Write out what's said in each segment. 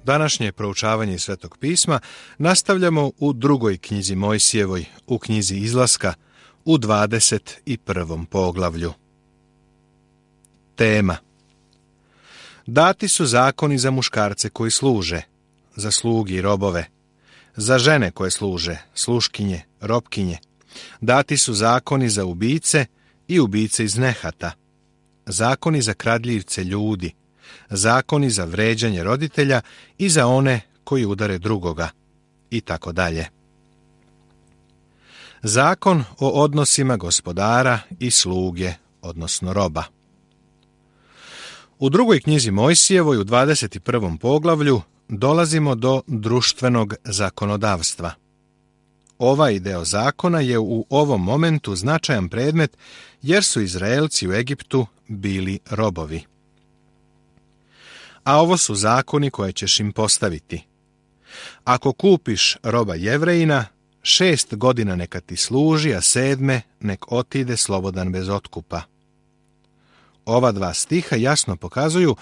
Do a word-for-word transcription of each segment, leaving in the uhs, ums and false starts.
Današnje proučavanje Svetog pisma nastavljamo u drugoj knjizi Mojsijevoj, u knjizi Izlaska, u dvadeset prvom poglavlju. Tema: Dati su zakoni za muškarce koji služe, za slugi i robove, za žene koje služe, sluškinje, robkinje. Dati su zakoni za ubice i ubice iz nehata, zakoni za kradljivce ljudi, zakoni za vređanje roditelja i za one koji udare drugoga, i tako dalje. Zakon o odnosima gospodara i sluge, odnosno roba. U drugoj knjizi Mojsijevoj, u dvadeset prvom poglavlju, dolazimo do društvenog zakonodavstva. Ovaj deo zakona je u ovom momentu značajan predmet, jer su Izraelci u Egiptu bili robovi. A ovo su zakoni koje ćeš im postaviti. Ako kupiš roba Jevrejina, šest godina neka ti služi, a sedme nek otide slobodan bez otkupa. Ova dva stiha jasno pokazuju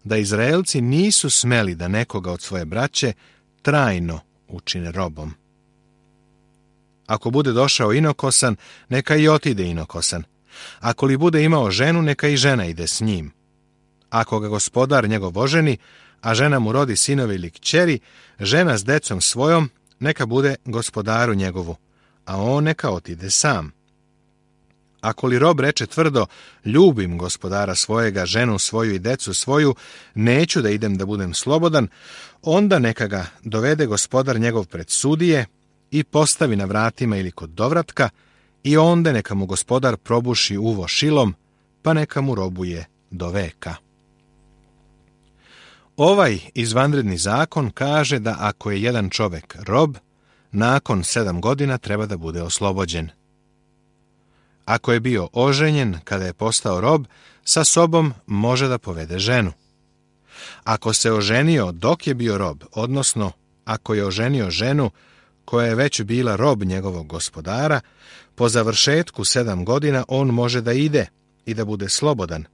da Izraelci nisu smeli da nekoga od svoje braće trajno učine robom. Ako bude došao inokosan, neka i otide inokosan. Ako li bude imao ženu, neka i žena ide s njim. Ako ga gospodar njegov oženi, a žena mu rodi sinove ili kćeri, žena s decom svojom neka bude gospodaru njegovu, a on neka otide sam. Ako li rob reče tvrdo, ljubim gospodara svojega, ženu svoju i decu svoju, neću da idem da budem slobodan, onda neka ga dovede gospodar njegov pred sudije i postavi na vratima ili kod dovratka, i onda neka mu gospodar probuši uvo šilom, pa neka mu robuje do veka. Ovaj izvanredni zakon kaže da ako je jedan čovjek rob, nakon sedam godina treba da bude oslobođen. Ako je bio oženjen kada je postao rob, sa sobom može da povede ženu. Ako se oženio dok je bio rob, odnosno ako je oženio ženu koja je već bila rob njegovog gospodara, po završetku sedam godina on može da ide i da bude slobodan,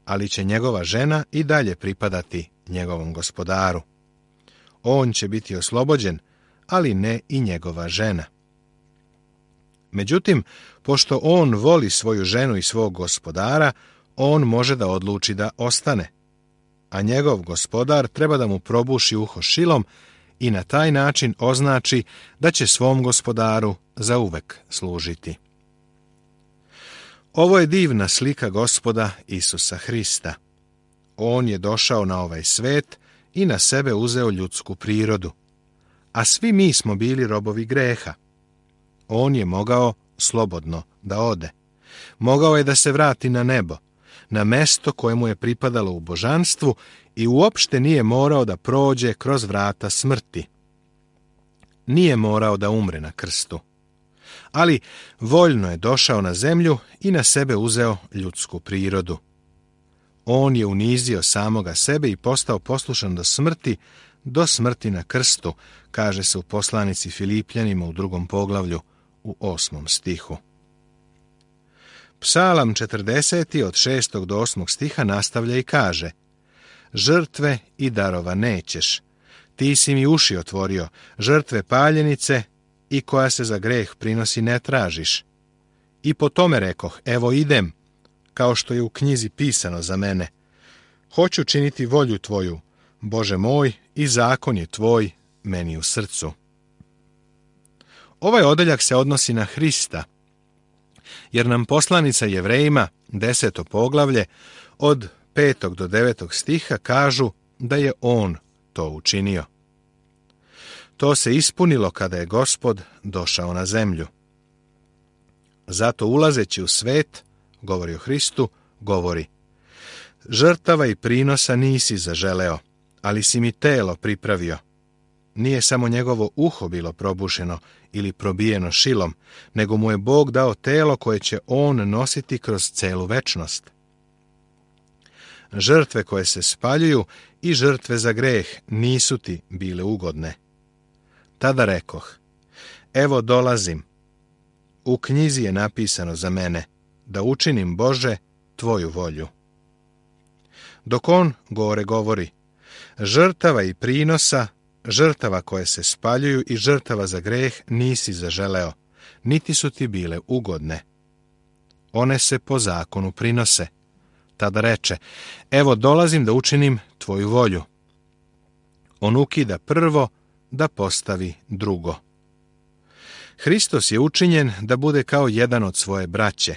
ali će njegova žena i dalje pripadati njegovom gospodaru. On će biti oslobođen, ali ne i njegova žena. Međutim, pošto on voli svoju ženu i svog gospodara, on može da odluči da ostane, a njegov gospodar treba da mu probuši uho šilom i na taj način označi da će svom gospodaru zauvek služiti. Ovo je divna slika Gospoda Isusa Hrista. On je došao na ovaj svet i na sebe uzeo ljudsku prirodu, a svi mi smo bili robovi greha. On je mogao slobodno da ode. Mogao je da se vrati na nebo, na mesto koje mu je pripadalo u božanstvu, i uopšte nije morao da prođe kroz vrata smrti. Nije morao da umre na krstu. Ali voljno je došao na zemlju i na sebe uzeo ljudsku prirodu. On je unizio samoga sebe i postao poslušan do smrti, do smrti na krstu, kaže se u poslanici Filipljanima u drugom poglavlju, u osmom stihu. Psalam četrdeseti od šestog do osmog stiha nastavlja i kaže: Žrtve i darova nećeš, ti si mi uši otvorio, žrtve paljenice i koja se za greh prinosi ne tražiš. I po tome rekoh, evo idem, kao što je u knjizi pisano za mene. Hoću činiti volju tvoju, Bože moj, i zakon je tvoj meni u srcu. Ovaj odeljak se odnosi na Hrista, jer nam poslanica Jevrejima, deseto poglavlje, od petog do devetog stiha kažu da je on to učinio. To se ispunilo kada je Gospod došao na zemlju. Zato ulazeći u svet, govori o Hristu, govori: Žrtava i prinosa nisi zaželeo, ali si mi telo pripravio. Nije samo njegovo uho bilo probušeno ili probijeno šilom, nego mu je Bog dao telo koje će on nositi kroz celu večnost. Žrtve koje se spaljuju i žrtve za greh nisu ti bile ugodne. Tada rekoh, evo dolazim. U knjizi je napisano za mene, da učinim, Bože, tvoju volju. Dok on gore govori, Žrtava i prinosa, žrtava koje se spaljuju i žrtava za greh nisi zaželeo, niti su ti bile ugodne. One se po zakonu prinose. Tada reče, evo dolazim da učinim tvoju volju. On ukida prvo da postavi drugo. Hristos je učinjen da bude kao jedan od svoje braće.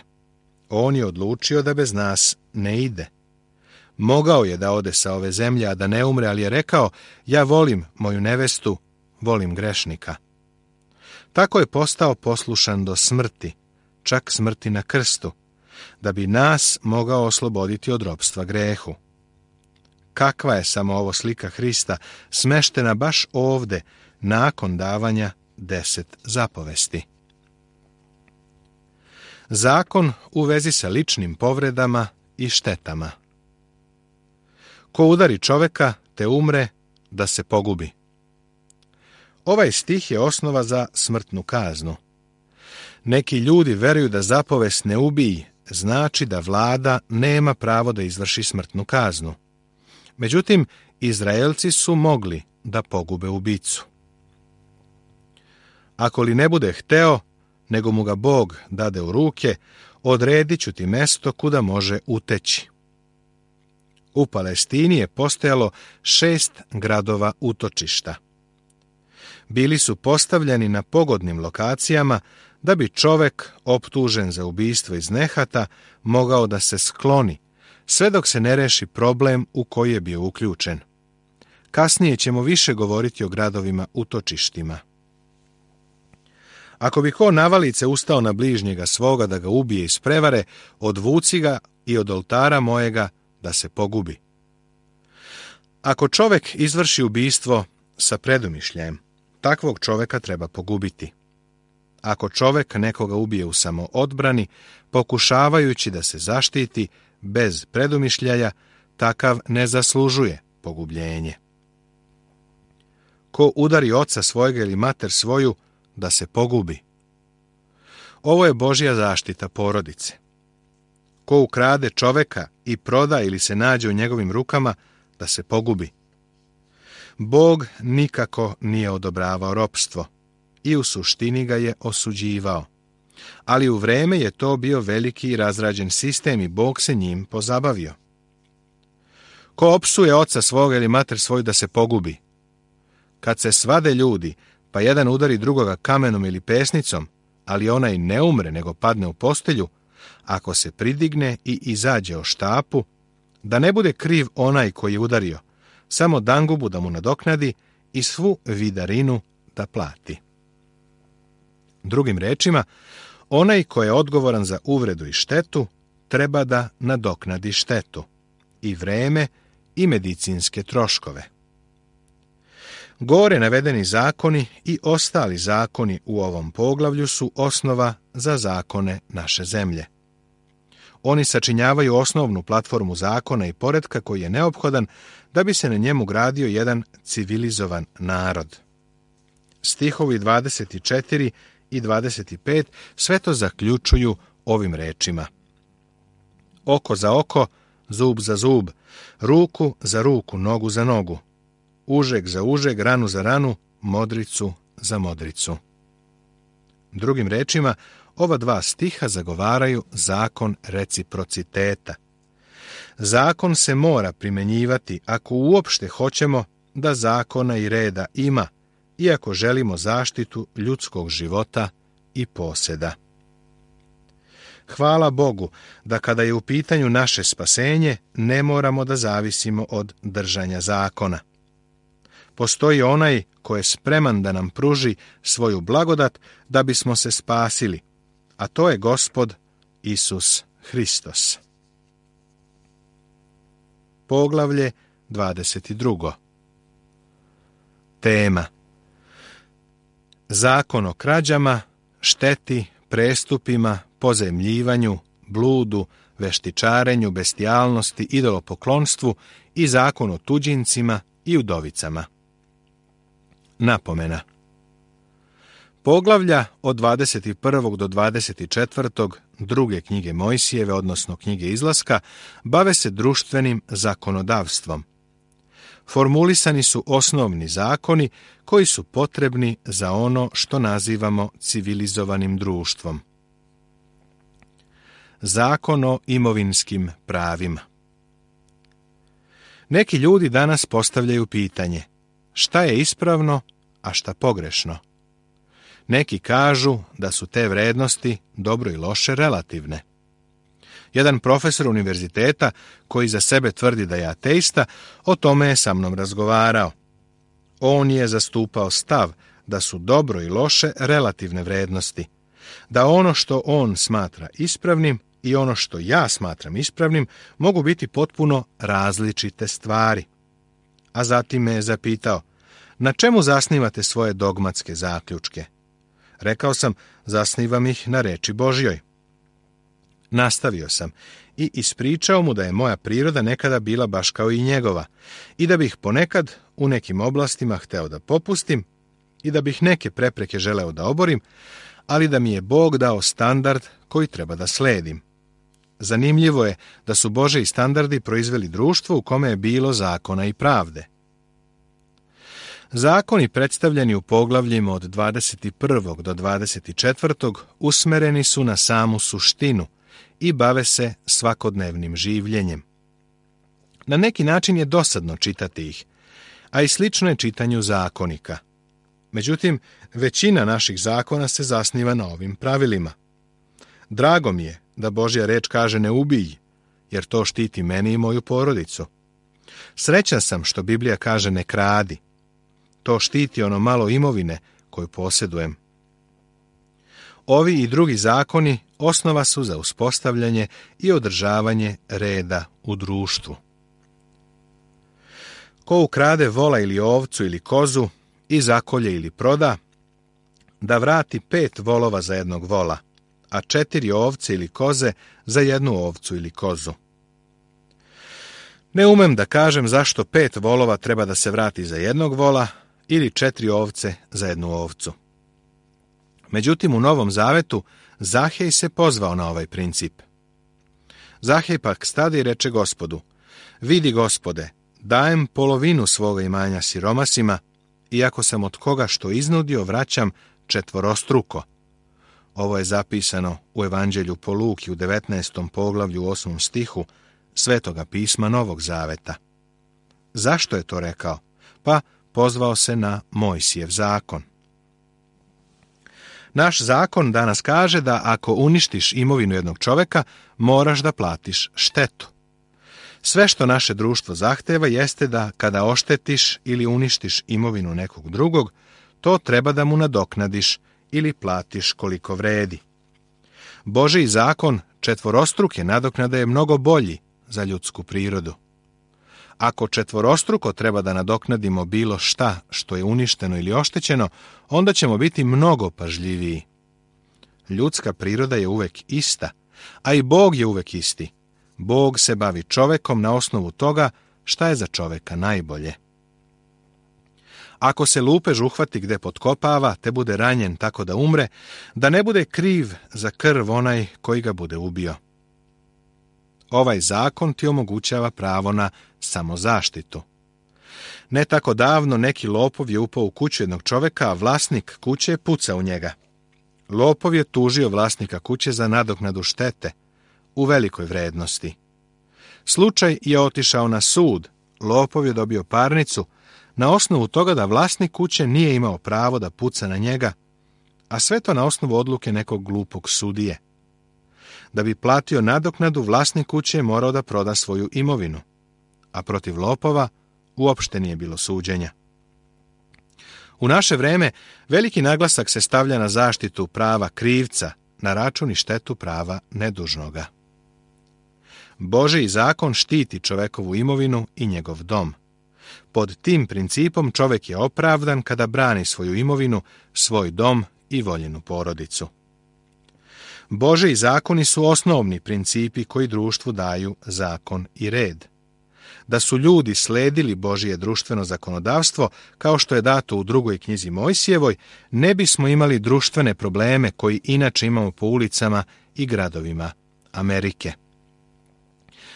On je odlučio da bez nas ne ide. Mogao je da ode sa ove zemlje, a da ne umre, ali je rekao, ja volim moju nevestu, volim grešnika. Tako je postao poslušan do smrti, čak smrti na krstu, da bi nas mogao osloboditi od ropstva grehu. Kakva je samo ovo slika Hrista, smeštena baš ovde, nakon davanja deset zapovesti. Zakon u vezi sa ličnim povredama i štetama. Ko udari čoveka, te umre, da se pogubi. Ovaj stih je osnova za smrtnu kaznu. Neki ljudi veruju da zapovest ne ubij znači da vlada nema pravo da izvrši smrtnu kaznu. Međutim, Izraelci su mogli da pogube ubicu. Ako li ne bude hteo, nego mu ga Bog dade u ruke, odredit ću ti mesto kuda može uteći. U Palestini je postojalo šest gradova utočišta. Bili su postavljeni na pogodnim lokacijama da bi čovek, optužen za ubistvo iz nehata, mogao da se skloni, sve dok se ne reši problem u koji je bio uključen. Kasnije ćemo više govoriti o gradovima utočištima. Ako bi ko navalice ustao na bližnjega svoga da ga ubije iz prevare, odvuci ga i od oltara mojega da se pogubi. Ako čovek izvrši ubistvo sa predumišljajem, takvog čoveka treba pogubiti. Ako čovek nekoga ubije u samoodbrani, pokušavajući da se zaštiti bez predumišljaja, takav ne zaslužuje pogubljenje. Ko udari oca svojega ili mater svoju, da se pogubi. Ovo je Božja zaštita porodice. Ko ukrade čoveka i proda ili se nađe u njegovim rukama, da se pogubi. Bog nikako nije odobravao ropstvo i u suštini ga je osuđivao. Ali u vreme je to bio veliki i razrađen sistem i Bog se njim pozabavio. Ko opsuje oca svoga ili mater svoju, da se pogubi. Kad se svade ljudi, pa jedan udari drugoga kamenom ili pesnicom, ali onaj ne umre nego padne u postelju, ako se pridigne i izađe o štapu, da ne bude kriv onaj koji je udario, samo dangubu da mu nadoknadi i svu vidarinu da plati. Drugim rečima, onaj ko je odgovoran za uvredu i štetu, treba da nadoknadi štetu, i vreme i medicinske troškove. Gore navedeni zakoni i ostali zakoni u ovom poglavlju su osnova za zakone naše zemlje. Oni sačinjavaju osnovnu platformu zakona i poretka koji je neophodan da bi se na njemu gradio jedan civilizovan narod. Stihovi dvadeset četiri i dvadeset pet sve to zaključuju ovim rečima. Oko za oko, zub za zub, ruku za ruku, nogu za nogu, užeg za užeg, ranu za ranu, modricu za modricu. Drugim rečima, ova dva stiha zagovaraju zakon reciprociteta. Zakon se mora primenjivati ako uopšte hoćemo da zakona i reda ima i ako želimo zaštitu ljudskog života i poseda. Hvala Bogu da kada je u pitanju naše spasenje ne moramo da zavisimo od držanja zakona. Postoji onaj ko je spreman da nam pruži svoju blagodat da bismo se spasili, a to je Gospod Isus Hristos. Poglavlje dvadeset dva. Tema: Zakon o krađama, šteti, prestupima, pozajmljivanju, bludu, veštičarenju, bestijalnosti, idolopoklonstvu i zakon o tuđincima i udovicama. Napomena. Poglavlja od dvadeset prvog do dvadeset četvrtog druge knjige Mojsijeve, odnosno knjige Izlaska, bave se društvenim zakonodavstvom. formulisani su osnovni zakoni koji su potrebni za ono što nazivamo civilizovanim društvom. Zakon o imovinskim pravima. Neki ljudi danas postavljaju pitanje: šta je ispravno, a šta pogrešno? Neki kažu da su te vrednosti, dobro i loše, relativne. Jedan profesor univerziteta, koji za sebe tvrdi da je ateista, o tome je sa mnom razgovarao. On je zastupao stav da su dobro i loše relativne vrednosti, da ono što on smatra ispravnim i ono što ja smatram ispravnim mogu biti potpuno različite stvari. A zatim me je zapitao: na čemu zasnivate svoje dogmatske zaključke? Rekao sam: zasnivam ih na reči Božjoj. Nastavio sam i ispričao mu da je moja priroda nekada bila baš kao i njegova i da bih ponekad u nekim oblastima hteo da popustim i da bih neke prepreke želeo da oborim, ali da mi je Bog dao standard koji treba da sledim. Zanimljivo je da su Božji standardi proizveli društvo u kome je bilo zakona i pravde. Zakoni predstavljeni u poglavljima od dvadeset prvog do dvadeset četvrtog usmereni su na samu suštinu i bave se svakodnevnim življenjem. Na neki način je dosadno čitati ih, a i slično je čitanju zakonika. Međutim, većina naših zakona se zasniva na ovim pravilima. Drago mi je da Božja reč kaže ne ubij, jer to štiti meni i moju porodicu. Srećan sam što Biblija kaže ne kradi. To štiti ono malo imovine koju posjedujem. Ovi i drugi zakoni osnova su za uspostavljanje i održavanje reda u društvu. Ko ukrade vola ili ovcu ili kozu i zakolje ili proda, da vrati pet volova za jednog vola, a četiri ovce ili koze za jednu ovcu ili kozu. Ne umem da kažem zašto pet volova treba da se vrati za jednog vola ili četiri ovce za jednu ovcu. Međutim, u Novom Zavetu Zahej se pozvao na ovaj princip. Zahej pak stade i reče Gospodu: vidi, Gospode, dajem polovinu svoga imanja siromasima, iako sam od koga što iznudio vraćam četvorostruko. Ovo je zapisano u Evanđelju po Luki u devetnaestom poglavlju u osmom stihu Svetoga pisma Novog Zaveta. Zašto je to rekao? Pa pozvao se na Mojsijev zakon. Naš zakon danas kaže da ako uništiš imovinu jednog čoveka, moraš da platiš štetu. Sve što naše društvo zahteva jeste da kada oštetiš ili uništiš imovinu nekog drugog, to treba da mu nadoknadiš ili platiš koliko vredi. Božji zakon četvorostruke nadoknade je mnogo bolji za ljudsku prirodu. Ako četvorostruko treba da nadoknadimo bilo šta što je uništeno ili oštećeno, onda ćemo biti mnogo pažljiviji. Ljudska priroda je uvek ista, a i Bog je uvek isti. Bog se bavi čovekom na osnovu toga šta je za čoveka najbolje. Ako se lupež uhvati gde potkopava, te bude ranjen tako da umre, da ne bude kriv za krv onaj koji ga bude ubio. Ovaj zakon ti omogućava pravo na samozaštitu. Ne tako davno neki lopov je upao u kuću jednog čoveka, a vlasnik kuće je pucao u njega. Lopov je tužio vlasnika kuće za nadoknadu štete u velikoj vrednosti. Slučaj je otišao na sud, lopov je dobio parnicu na osnovu toga da vlasnik kuće nije imao pravo da puca na njega, a sve to na osnovu odluke nekog glupog sudije. Da bi platio nadoknadu, vlasnik kuće je morao da proda svoju imovinu, a protiv lopova uopšte nije bilo suđenja. U naše vreme veliki naglasak se stavlja na zaštitu prava krivca na račun i štetu prava nedužnoga. Božji zakon štiti čovekovu imovinu i njegov dom. Pod tim principom čovek je opravdan kada brani svoju imovinu, svoj dom i voljenu porodicu. Božji zakoni su osnovni principi koji društvu daju zakon i red. Da su ljudi sledili Božje društveno zakonodavstvo, kao što je dato u drugoj knjizi Mojsijevoj, ne bismo imali društvene probleme koji inače imamo po ulicama i gradovima Amerike.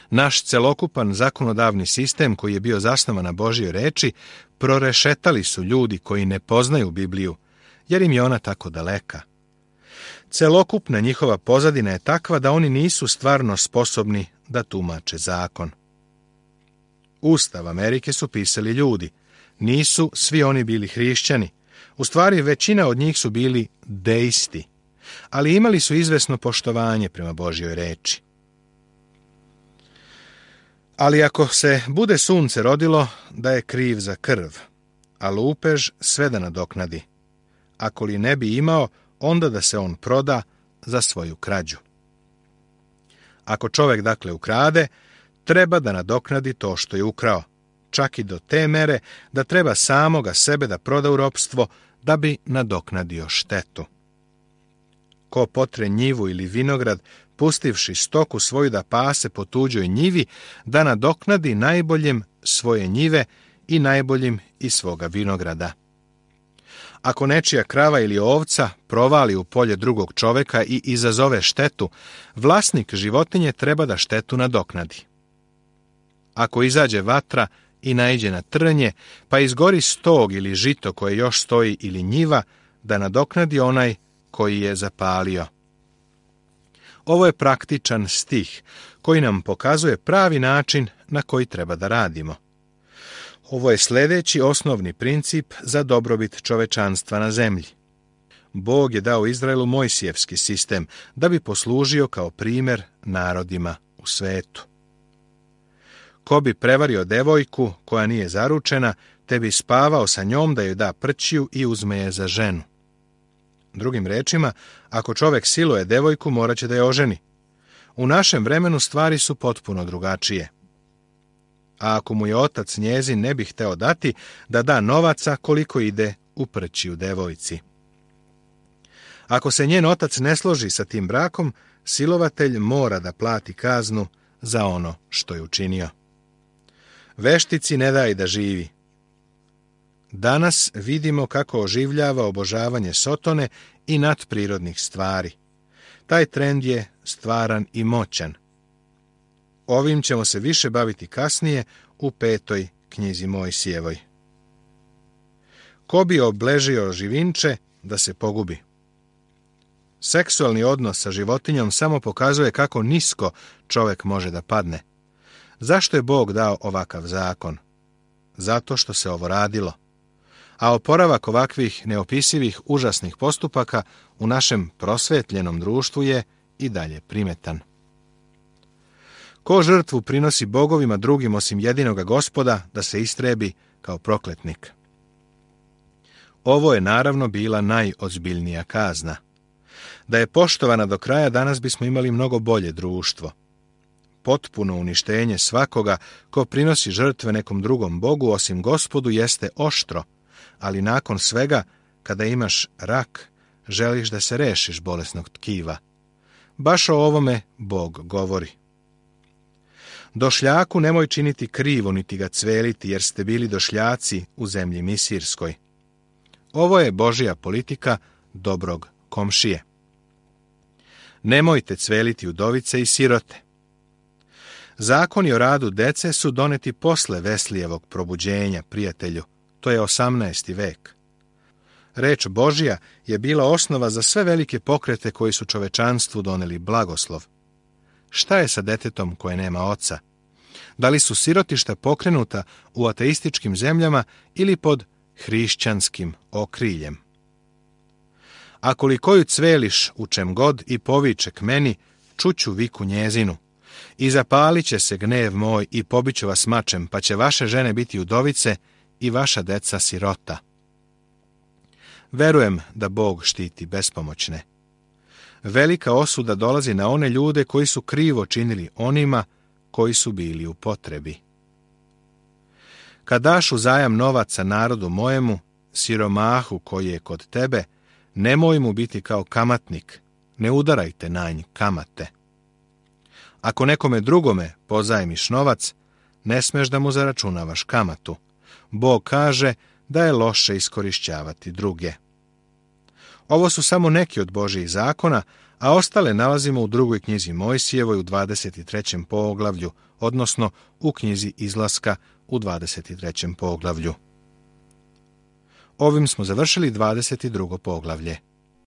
Naš celokupan zakonodavni sistem, koji je bio zasnovan na Božjoj reči, prorešetali su ljudi koji ne poznaju Bibliju, jer im je ona tako daleka. Celokupna njihova pozadina je takva da oni nisu stvarno sposobni da tumače zakon. Ustav Amerike su pisali ljudi. Nisu svi oni bili hrišćani. U stvari, većina od njih su bili deisti, ali imali su izvesno poštovanje prema Božjoj reči. Ali ako se bude sunce rodilo, da je kriv za krv, a lupež sve da nadoknadi. Ako li ne bi imao, onda da se on proda za svoju krađu. Ako čovjek dakle ukrade, treba da nadoknadi to što je ukrao, čak i do te mere da treba samoga sebe da proda u ropstvo da bi nadoknadio štetu. Ko potre njivu ili vinograd, pustivši stoku svoju da pase po tuđoj njivi, da nadoknadi najboljem svoje njive i najboljim iz svoga vinograda. Ako nečija krava ili ovca provali u polje drugog čoveka i izazove štetu, vlasnik životinje treba da štetu nadoknadi. Ako izađe vatra i naiđe na trnje, pa izgori stog ili žito koje još stoji ili njiva, da nadoknadi onaj koji je zapalio. Ovo je praktičan stih koji nam pokazuje pravi način na koji treba da radimo. Ovo je sljedeći osnovni princip za dobrobit čovečanstva na zemlji. Bog je dao Izraelu Mojsijevski sistem da bi poslužio kao primjer narodima u svetu. Ko bi prevario devojku koja nije zaručena, te bi spavao sa njom da joj da prćiju i uzme je za ženu. Drugim rečima, ako čovjek siluje devojku, morat će da je oženi. U našem vremenu stvari su potpuno drugačije. A ako mu je otac njezin ne bi hteo dati, da da novaca koliko ide u prćiju devojci. Ako se njen otac ne složi sa tim brakom, silovatelj mora da plati kaznu za ono što je učinio. Veštici ne daj da živi. Danas vidimo kako oživljava obožavanje sotone i nadprirodnih stvari. Taj trend je stvaran i moćan. Ovim ćemo se više baviti kasnije u petoj knjizi Mojsijevoj. Ko bi obležio živinče da se pogubi? Seksualni odnos sa životinjom samo pokazuje kako nisko čovjek može da padne. Zašto je Bog dao ovakav zakon? Zato što se ovo radilo. A oporavak ovakvih neopisivih užasnih postupaka u našem prosvetljenom društvu je i dalje primetan. Ko žrtvu prinosi bogovima drugim osim jedinoga Gospoda da se istrebi kao prokletnik? Ovo je naravno bila najozbiljnija kazna. Da je poštovana do kraja, danas bismo imali mnogo bolje društvo. Potpuno uništenje svakoga ko prinosi žrtve nekom drugom bogu osim Gospodu jeste oštro, ali nakon svega, kada imaš rak, želiš da se rešiš bolesnog tkiva. Baš o ovome Bog govori. Došljaku nemoj činiti krivo niti ga cveliti, jer ste bili došljaci u zemlji Misirskoj. Ovo je Božja politika dobrog komšije. Nemojte cveliti udovice i sirote. Zakoni o radu dece su doneti posle Veslijevog probuđenja, prijatelju. To je osamnaesti vek. Reč Božja je bila osnova za sve velike pokrete koji su čovečanstvu doneli blagoslov. Šta je sa detetom koje nema oca? Da li su sirotišta pokrenuta u ateističkim zemljama ili pod hrišćanskim okriljem? Ako li koju cveliš u čem god i poviče k meni, čuću viku njezinu. I zapalit će se gnev moj i pobiću vas mačem, pa će vaše žene biti udovice i vaša deca sirota. Verujem da Bog štiti bespomoćne. Velika osuda dolazi na one ljude koji su krivo činili onima koji su bili u potrebi. Kad daš uzajam novaca narodu mojemu, siromahu koji je kod tebe, nemoj mu biti kao kamatnik, ne udarajte na nj kamate. Ako nekome drugome pozajmiš novac, ne smeš da mu zaračunavaš kamatu. Bog kaže da je loše iskorišćavati druge. Ovo su samo neki od Božjih zakona, a ostale nalazimo u drugoj knjizi Mojsijevoj u dvadeset trećem poglavlju, odnosno u knjizi Izlaska u dvadeset trećem poglavlju. Ovim smo završili dvadeset drugo poglavlje.